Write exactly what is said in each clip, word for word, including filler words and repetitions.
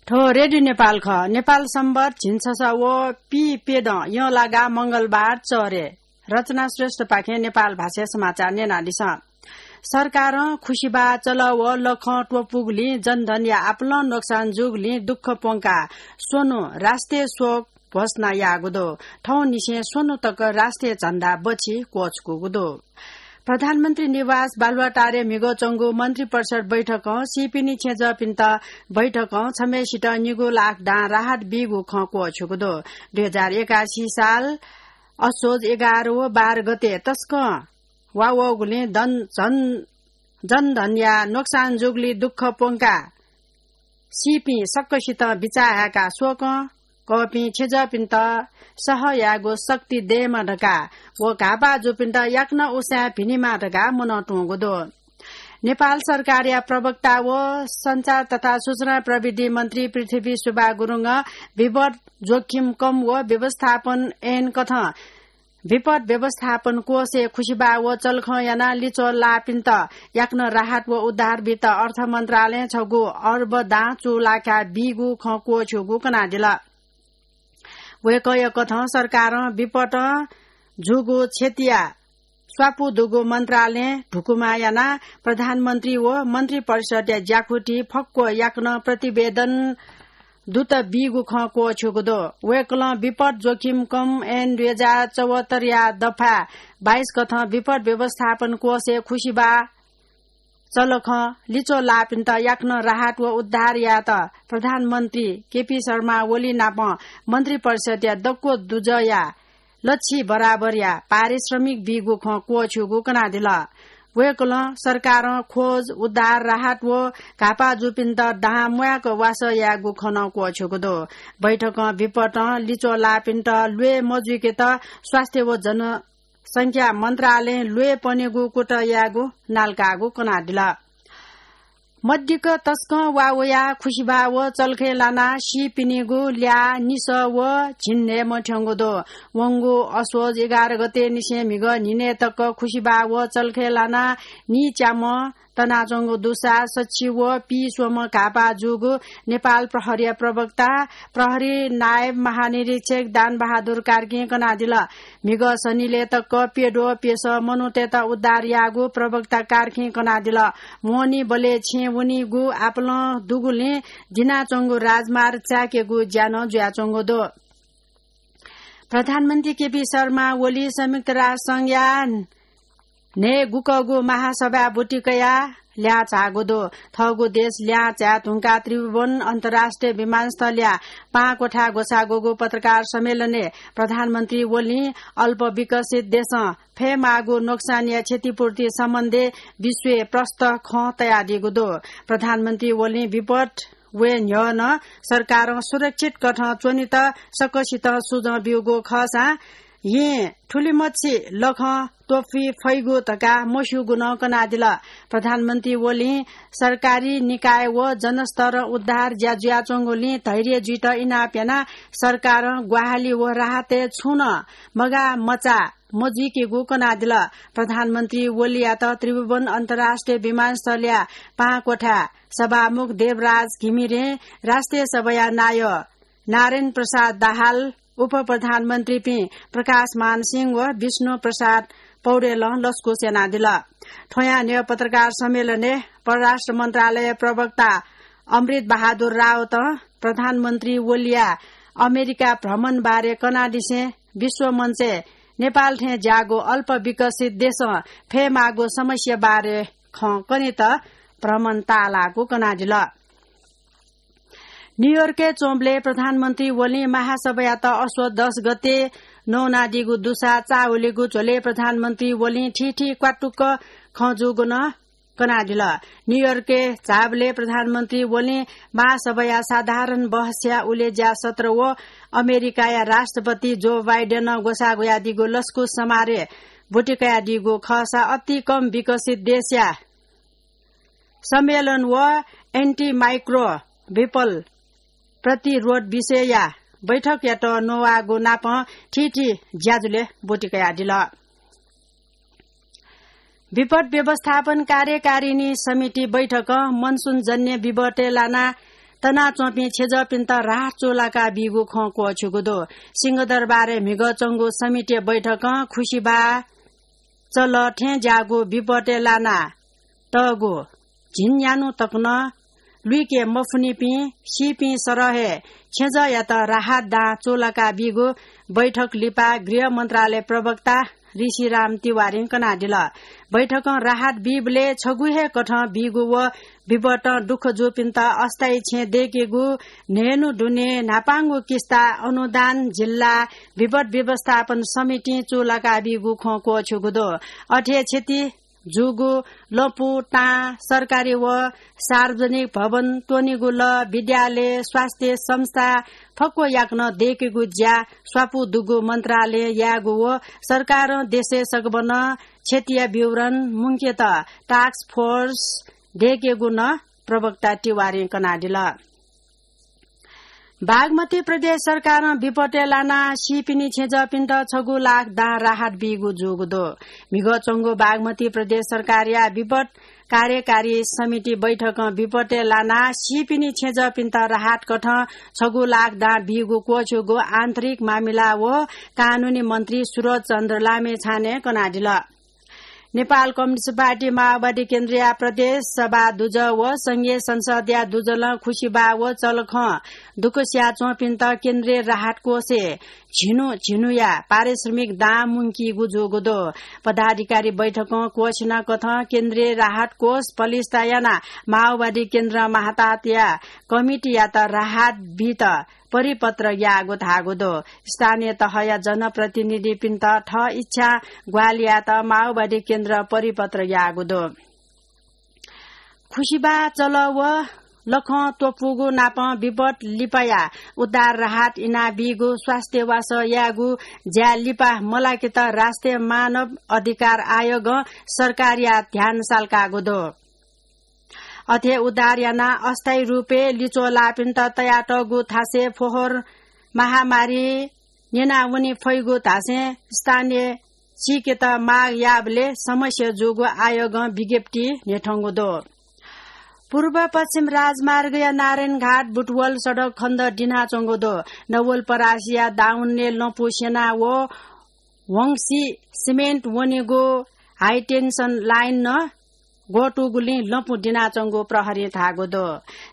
थ्व रेडियो नेपाल खः। नेपाल संवत् झिंछसः व पीप्यदँ यंलागा मंगलबार चःह्रे। रचना श्रेष्ठपाखें नेपाल भाषाय् समाचार न्यनादिसँ। सरकारं खुसिबाः चलः व लखं त्वपुगुलिं जनधनया आपालं नोक्सान जूगुलिं दुःख प्वंकाः स्वन्हु राष्ट्रिय शोक घोषणा याःगु दु। थौंनिसें स्वन्हु तक राष्ट्रिय झण्डा बछि क्वछुकूगु दु। प्रधानमन्त्री निवास बालुवाटारय् म्हिगः च्वंगु मन्त्रिपरिषद बैठकं सीपिनि छेँजःपिन्त बैठकं छम्हय्‌सित निगू लाख दां राहत बीगु खँ क्वःछ्यूगु दु। दुई हजार एकासी साल असोज एघार व बाह्र गते तसकं वा वःगुलिं दन-, झन-, जनधनया नोक्सान जूगुलिं दुःख प्वंकाः सीपिं सकसितं बिचाः हाय्‌काः स्वकं कःपिं छेँजःपिन्त सह यायेगु शक्ति दयेमा धकाः व घाःपाः जूपिन्त याकनं उसाँय् भिनेमा धकाः मनं तुंगु दु। नेपाल सरकारया प्रवक्ता व सञ्चार तथा सूचना प्रविधि मन्त्री पृथ्वी सुब्बा गुरुङं विपद जोखिम कम व व्यवस्थापन ऐन कथं विपद व्यवस्थापन कोषय् खुसिबाः व चलखं यानाः लिच्वः लाःपिन्त याकनं राहत व उद्धार बीत अर्थ मन्त्रालयं छगू अर्ब दां चूलाका बीगु खँ क्वःछ्यूगु कनादिल। वय्‌कःया कथं सरकारं विपदं जूगु क्षतिया स्वापू दुगु मन्त्रालयं धुकुमा यानाः प्रधानमन्त्री व मन्त्रिपरिषदया ज्याकुथि फक्व याकनं प्रतिवेदन दुत बीगु खँ क्वःछ्यूगु दु। वय्‌कलं विपद जोखिम कम ऐन दुई हजार चौहत्तरया दफा बाइस कथं विपद व्यवस्थापन कोषय् खुसिबाः चलखं लिच्वः लाःपिन्त याकनं राहत व उद्धार यायेत प्रधानमन्त्री केपी शर्मा ओली नाप मन्त्रिपरिषदया दक्व दुजःया लछि बराबरया पारिश्रमिक बीगु खँ क्वःछ्यूगु कनादिल। वय्‌कलं सरकारं खोज, उद्धार, राहत व घाःपाः जूपिन्त दां म्वाय्‌क वासः यायेगु खँ नं क्वःछ्यूगु दु। बैठकं विपदं लिच्वः लाःपिन्त ल्वय् मजुइकेत स्वास्थ्य व जनसंख्या मन्त्रालयं ल्वय् पनेगु कुतः यायेगु नालकाःगु कनादिल। मदिक्क तसकं वा वयाः खुसिबाः व चलखय् लानाः सीपिनिगु ल्याः निसः व झिंन्हय्‌म्ह थ्यंगु दु। वंगु असोज एघार गते निसें म्हिगः न्हिनय् तक खुसिबाः व चलखय् लानाः नीच्याम्ह तनाच्वंगु दुसा सछि व पीस्वम्ह घाःपाः जूगु नेपाल प्रहरीया प्रवक्ता प्रहरी नायब महानिरीक्षक दानबहादुर कार्कीं कनादिल। म्हिगः सनिलय् तक प्यद्वः प्यसः मनूतय्‌त उद्धार याःगु प्रवक्ता कार्कीं कनादिल। मोहनी बलय् छेँ वनीगु आपालं दुगुलिं दिनाच्वंगु राजमार्ग चाय्‌केगु ज्या नं जुयाच्वंगु दु। प्रधानमन्त्री केपी शर्मा ओली संयुक्त राष्ट्र संघया न्हय्‌गुकःगु महासभाय् ब्वति कयाः ल्याः झाःगु दु। थःगु देश ल्याः झाये धुंकाः त्रिभुवन अन्तर्राष्ट्रिय विमानस्थलया पाहां क्वथाय् ग्वसाःगु पत्रकार सम्मेलनय् प्रधानमन्त्री ओलीं अल्प विकसित देशं फयेमाःगु नोक्सानया क्षतिपूर्ति सम्बन्धय् विश्वय् प्रष्ट खँ तयादीगु दु। प्रधानमन्त्री ओलीं विपद वये न्ह्यः नं सरकारं सुरक्षित कथं च्वनेत सकसितं सुझाव ब्यूगु खःसां येँ थुलिमछि लखं त्वपुइ फइगु धकाः मस्यूगु नं कनादिल। प्रधानमन्त्री ओलीं सरकारी निकाय व जनस्तरं उद्धार ज्या जुयाच्वंगुलिं धैर्य जुइत इनाप यानाः सरकारं ग्वाहालि व राहतय् छुं नं मगाः मचाः मजुइकेगु कनादिल। प्रधानमन्त्री ओलीयात त्रिभुवन अन्तर्राष्ट्रिय विमानस्थलया पाहां क्वथाय् सभामुख देवराज घिमिरें, राष्ट्रिय सभाया नायः नारायण प्रसाद दाहाल, उपप्रधानमन्त्रीपिं प्रकाशमान सिंह व विष्णु प्रसाद पौडेलं लसकुस यानादिल। थ्वयां न्ह्यः पत्रकार सम्मेलनय् परराष्ट्र मन्त्रालय प्रवक्ता अमृत बहादुर रावतं प्रधानमन्त्री ओलीया अमेरिका भ्रमण बारे कनादिसें विश्व मञ्चय् नेपाल थें ज्याःगु अल्प विकसित देशं फयेमाःगु समस्या बारे खँ कनेत भ्रमण ताःलाःगु कनादिल। न्यूयोर्कय् च्वंबलय् प्रधानमन्त्री ओलीं महासभायात असोज दस गते नवानादीगु दुसा चाःहुलिगु झ्वलय् प्रधानमन्त्री ओलीं थीथी क्वातुक खँ जूगु नं कनादिल। न्यूयोर्कय् झाःबलय् प्रधानमन्त्री ओलीं महासभाया साधारण बहसया उलेज्या सत्र व अमेरिकाया राष्ट्रपति जो बाइडेनं ग्वसाः ग्वयादीगु लसकुस समारोहय् ब्वति कयादीगु खःसा अति कम विकसित देशया सम्मेलन व antimicrobial प्रतिरोध विषयया बैठकयात नवाःगु नापं थीथी ज्याझ्वलय् ब्वति कयादिल। विपद व्यवस्थापन कार्यकारिणी समिति बैठकं मनसुनजन्य विपदय् लानाः तनाच्वंपिं छेँजःपिन्त राहत चूलाका बीगु खँ क्वःछ्यूगु दु। सिंहदरबारय् म्हिगः च्वंगु समिति बैठकं खुसिबा चल थें ज्याःगु विपतय् लाना तःगु झिंन्यान्हु तक नं लुइके मफुनिपिं सीपिं सरह हे छेँजःयात राहत दां चूलाका बीगु बैठक लिपा गृह मन्त्रालय प्रवक्ता ऋषिराम तिवारीं कनादिल। बैठकं राहत बीबलय् छगू हे कथं बीगु व विपतं दुःख जूपिन्त अस्थायी छेँ दय्केगु न्हय्न्हु दुने न्हापांगु किस्ता अनुदान जिल्ला विपत व्यवस्थापन समितिं चूलाका बीगु खँ क्वःछ्यूगु दु। अथे क्षति जूगु लँपु, तां, सरकारी व सार्वजनिक भवन, त्वनेगु लः, विद्यालय, स्वास्थ्य संस्था फक्व याकनं दय्केगु ज्या स्वापू दुगु मन्त्रालयं यायेगु व सरकारं देशय् सकभनं क्षतिया विवरण मुंकेत task force दय्केगु नं प्रवक्ता तिवारीं कनादिल। बागमती प्रदेश सरकारं विपतय् लानाः सीपिनि छेँजःपिन्त छगू लाख दां राहत बीगु जूगु दु। म्हिगः च्वंगु बागमती प्रदेश सरकारया विपत कार्यकारी समिति बैठकं विपतय् लानाः सीपिनि छेँजःपिन्त राहत कथं छगू लाख दां बीगु क्वःछ्यूगु आन्तरिक मामिला व कानूनी मन्त्री सुरज चन्द्र लामिछानें कनादिल। नेपाल कम्युनिस्ट पार्टी माओवादी केन्द्रया प्रदेश सभा दुजः व संघीय संसदया दुजलं खुसिबा व चलखं दुःख सियाच्वंपिन्त केन्द्रीय राहत कोषय् झिन्हु झिन्हुया पारिश्रमिक दां मुंकीगु जूगु दु। पदाधिकारी बैठकं क्वःछिना कथं केन्द्रीय राहत कोष पलिस्था यानाः माओवादी केन्द्र माहतातया कमिटीयात राहत बीत परिपत्र याःगु धाःगु दु। स्थानीय तहया जनप्रतिनिधिपिन्त थः इच्छा ग्वाहालि यायेत माओवादी केन्द्र परिपत्र याःगु दु। खुसिबा चल व लखं त्वपुगु नापं विपत लिपाया उद्धार राहत इनाबीगु स्वास्थ्य वासः यायेगु ज्या लिपा मलाकेत राष्ट्रिय मानव अधिकार आयोगं सरकारया ध्यान साल्काःगु दु। अथे उद्धार यानाः अस्थायी रूपय् लिच्वः लाःपिन्त तयातःगु थासय् फोहोर महामारी न्यनावने फइगु धासें स्थानीय सीकेत माग याःबलय् समस्या जूगु आयोगं विज्ञप्ति न्ह्यथंगु दु। पूर्व पश्चिम राजमार्गया नारायणघाट बुटवल सडक खण्ड दिनाच्वंगु दु। नवलपरासीया दाउन्ने लँपु सेना व वंशी सिमेन्ट वनेगु हाई टेन्सन लाइन नं ग्वतुगुलिं लँपु दिनाच्वंगु प्रहरीं धाःगु दु।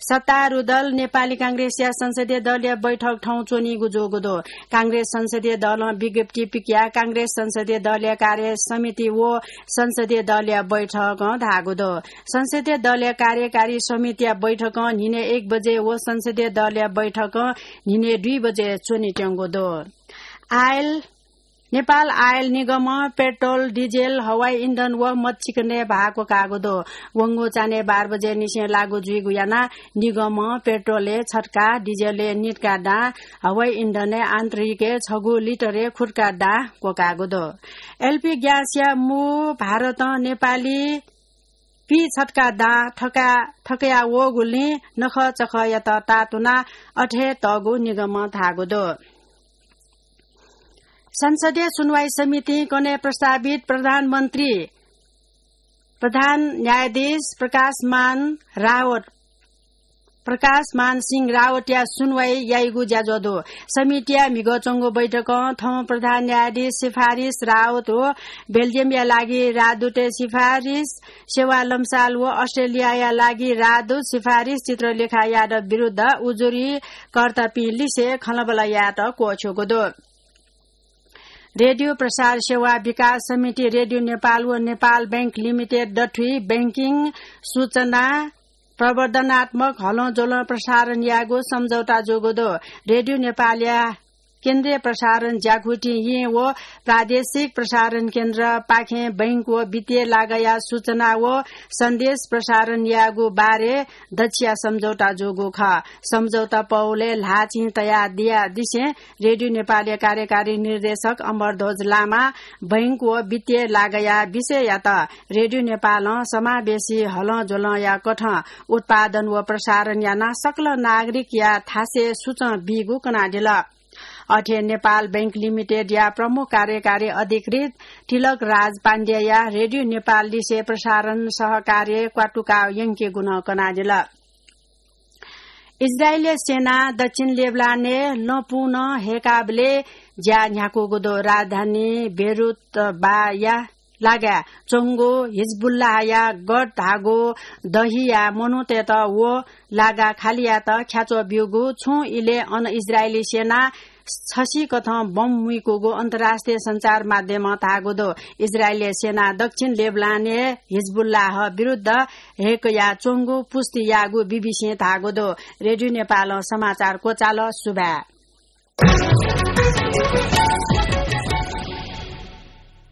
सत्तारूढ दल नेपाली कांग्रेसया संसदीय दलया बैठक थौं च्वनीगु जूगु दु। कांग्रेस संसदीय दलं विज्ञप्ति पिकयाः कांग्रेस संसदीय दलया कार्य समिति व संसदीय दलया बैठकं धाःगु दु। संसदीय दलया कार्यकारी समितिया बैठकं न्हिनय् एक बजे व संसदीय दलया बैठकं न्हिनय् दुई बजे च्वनेत्यंगु दु। आयल नेपाल आयल निगमं पेट्रोल, डिजेल, हवाई इन्धन व मदचिकनय् भाः क्वकाःगु दु। वंगु चान्हय् बाह्र बजे निसें लागू जुइगु यानाः निगमं पेट्रोलय् छत्का, डिजेलय् नित्का दां, हवाई इन्धनय् आन्तरिकय् छगू लिटरय् खुत्का दां क्वकाःगु दु। एलपी ग्यासया मू भारतं नेपाली पीछत्का दां थका-, थकया वःगुलिं नखःचखःयात तातुनाः अथे तःगु निगमं धाःगु दु। संसदीय सुनवाई समितिं कन्हय् प्रस्तावित प्रधानमन्त्री, प्रधान न्यायाधीश प्रकाशमान रावत, प्रकाशमान सिंह रावतया सुनवाई याइगु ज्याझ्वः दु। समितिया म्हिगः च्वंगु बैठकं थौं प्रधान न्यायाधीश सिफारिस रावत व बेल्जियमया लागि राजदूतय् सिफारिस सेवा लम्साल व अस्ट्रेलियाया लागि राजदूत सिफारिस चित्रलेखा यादव विरुद्ध उजुरीकर्तापिं लिसे खँल्हाबल्हा यायेत क्वःछ्यूगु दु। रेडियो प्रसार सेवा विकास समिति, रेडियो नेपाल व नेपाल बैंक लिमिटेड दथुइ बैंकिङ, सूचना, प्रवर्धनात्मक हलंज्वलं प्रसारण यायेगु सम्झौता जूगु दु। रेडियो नेपालया केन्द्रीय प्रसारण ज्याकुथि येँ व प्रादेशिक प्रसारण केन्द्रपाखें बैंक व वित्तीय लागःया सूचना व सन्देश प्रसारण यायेगु बारे दच्छिया सम्झौता जूगु खः। सम्झौता पौलय् ल्हाःचिं तयादियादिसें रेडियो नेपालया कार्यकारी निर्देशक अमरध्वज लामां बैंक व वित्तीय लागःया विषययात रेडियो नेपालं समावेशी हलंज्वलंया कथं उत्पादन व प्रसारण यानाः सकल नागरिकया थासय् सुचं बीगु कनादिल। अथे नेपाल बैंक लिमिटेडया प्रमुख कार्यकारी अधिकृत तिलक राज पाण्डेया रेडियो नेपाल लिसे प्रसारण सहकार्य क्वातुका यंकेगु नं कनादिल। इजरायली सेना दक्षिण लेबनानय् लँपुं नं हय्‌काबलय् ज्या न्ह्याकूगु दु। राजधानी बेरुत बाया लागाय् च्वंगु हिजबुल्लाहया गढ धाःगु दहिया मनूतय्‌त व लागा खालि यायेत ख्याच्वः ब्यूगु छुं इलय् अन इजरायली सेना छसिकथं बम मुइकूगु अन्तर्राष्ट्रिय सञ्चार माध्यमं धाःगु दु। इजरायली सेना दक्षिण लेबनानय् हिजबुल्लाह विरुद्ध हय्‌कया च्वंगु पुष्टि याःगु बीबीसीं धाःगु दु। रेडियो नेपालं समाचार क्वचाल। सुभाय्।